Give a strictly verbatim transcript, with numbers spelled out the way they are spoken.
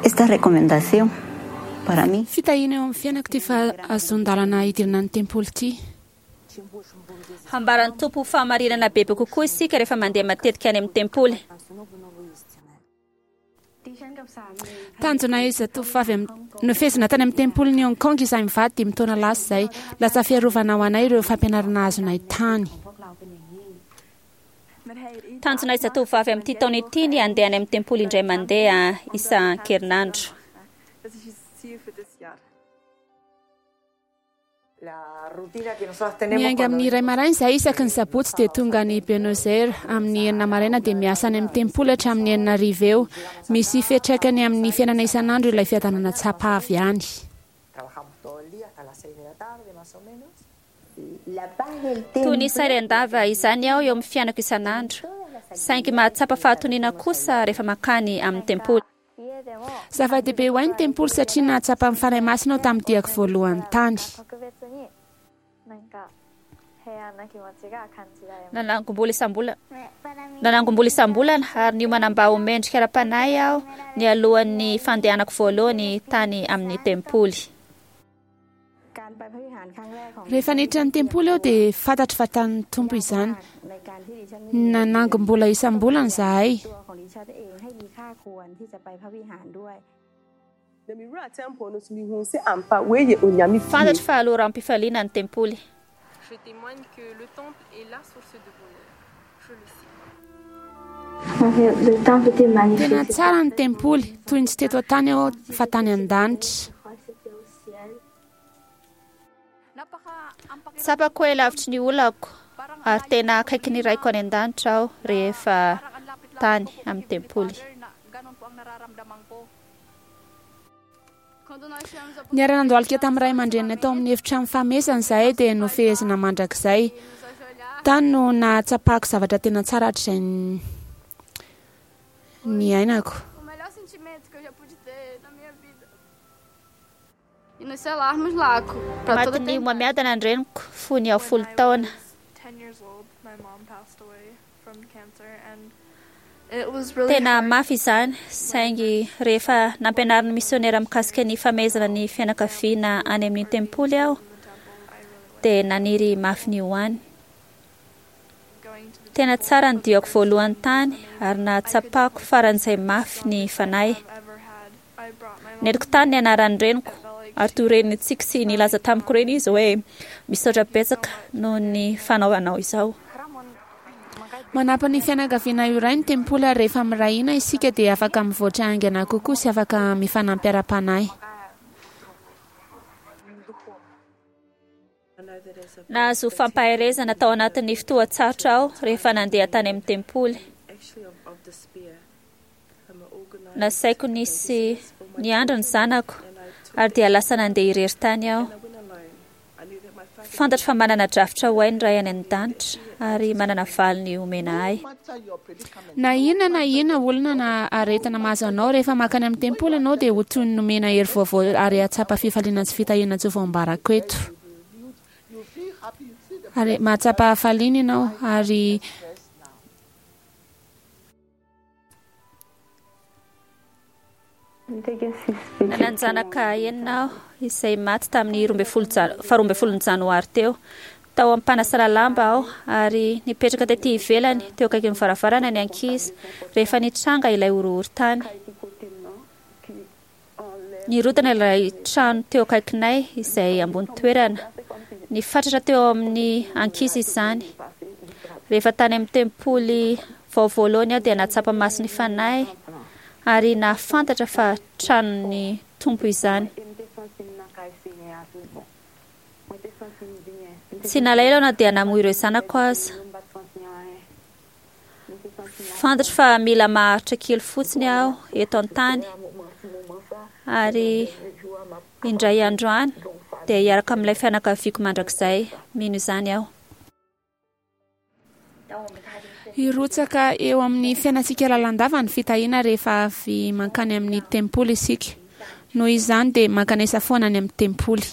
Esta recomendación para mí. Fitahiana eo amin'ny fiainako ity fahazoan-dalana hidirana ny tempoly ity. Hambaran'ny Tompo ho fahamarinana bebe kokoa isika rehefa mandeha matetika any amin'ny tempoly. Tanjona izatovovavy nofehezina tany amin'ny tempolin'i Hong Kong izahay mivady dimy taona lasa izay. Lasa fiarovana ho anay ireo fampianarana azonay tany. Tanjona izatovovavy amin'ity taona ity ny handeha any amin'ny tempoly indray mandeha isan-kerinandro. Miainga amin'ny iray maraina izahay isaky ny sabotsy dia tonga any Buenos Aires amin'ny enina maraina dia miasa any amin'ny tempoly hatramin'ny enina hariva eo. Misy fiantraikany amin'ny fiainana isan'andro ilay fiadanana tsapa avy any. Toy ny sary an-dava izany aho eo amin'ny fiainako isan'andro, saingy mahatsapa fahatoniana kosa rehefa mankany amin'ny tempoly. Zava-dehibe ho ahy ny tempoly satria nahatsapa ny Fanahy Masina aho tamin'ny diako voalohany tany. Nanangom-bola isam-bolana Nanangom-bola isam-bolana ary niomana mba ho mendrika ara-panahy aho nialohan'ny fandehanako voalohany tany amin'ny tempoly. Rehefa niditra ny tempoly aho dia fantatro fa tanin'ny Tompo izany. Nanangom-bola isam-bolana izahay. Fantatro fa loharanom-pifaliana ny tempoly. Tena tsara ny tempoly, toy ny tsy teto an-tany aho fa tany an-danitra. Tsapako hoe lavitry ny olako ary tena akaiky ny Raiko any An-danitra aho rehefa tany amin'ny tempoly. Niara-nandohalika tamin'ny ray aman-dreninay tao amin'ny efitrano fahamezana izahay dia nofehezina mandrakizay. Tany no nahatsapako zavatra tena tsara hatrizay niainako. Matin'ny homamiadana ny reniko fony aho folo taona. Tena mafy izany, saingy rehefa nampianarin'ny misiônera mikasika ny famehezana ny fianakaviana any amin'ny tempoly aho, dia naniry mafy ny ho any. Tena tsara ny diako voalohany tany ary nahatsapako faran'izay mafy ny fanahy. Nentiko tany ny anaran'ny reniko ary toy ireny nitsiky sy nilaza tamiko ireny izy hoe, Misaotra betsaka noho ny fanaovanao izao. Manampy ny fianakaviana iray ny tempoly ary rehefa miray hina isika dia afaka mivoatra haingana kokoa sy afaka mifanampy ara-panahy. Nahazo fampaherezana tao anatin'ny fotoan-tsarotra aho rehefa nandeha tany amin'ny tempoly. Nasaiko nisy niandry ny zanako ary dia lasa nandeha irery tany aho. Fantatro fa manana drafitra ho ahy ny Ray any An-danitra ary manana valiny homena ahy. Na inona na inona olona na aretina mahazo anao, rehefa mankany amin'ny tempoly ianao dia ho toy ny nomena hery vaovao ary hahatsapa fifaliana sy fitahiana tsy ho voambarako eto. Ary mahatsapa hafaliana ianao ary Nanan-janaka enina aho izay maty tamin'ny roa ambin'ny folo ja- faharoa ambin'ny folon'ny janoary teo. Tao am-panasana lamba aho ary nipetraka tety ivelany teo akaikin'ny varavarana ny ankizy rehefa nitranga ilay horohorontany. Nirodana ilay trano teo akaikinay izay ambony toerana. Nifatratra teo amin'ny ankizy izany. Rehefa tany amin'ny tempoly vao voalohany aho dia nahatsapa maso ny Fanahy ary nahafantatra fa tranon'ny Tompo izany. Tsy nalahelo aho na dia namoy ireo zanako aza. Fantatro fa mila maharitra kely fotsiny aho eto an-tany ary indray andro any dia hiaraka amin'ilay fianakaviako mandrakizay. Mino izany aho. Hirotsaka eo amin'ny fiainantsika lalandava ny fitahiana rehefa avy mankany amin'ny tempoly isika. Noho izany dia mankanesa foana any amin'ny tempoly.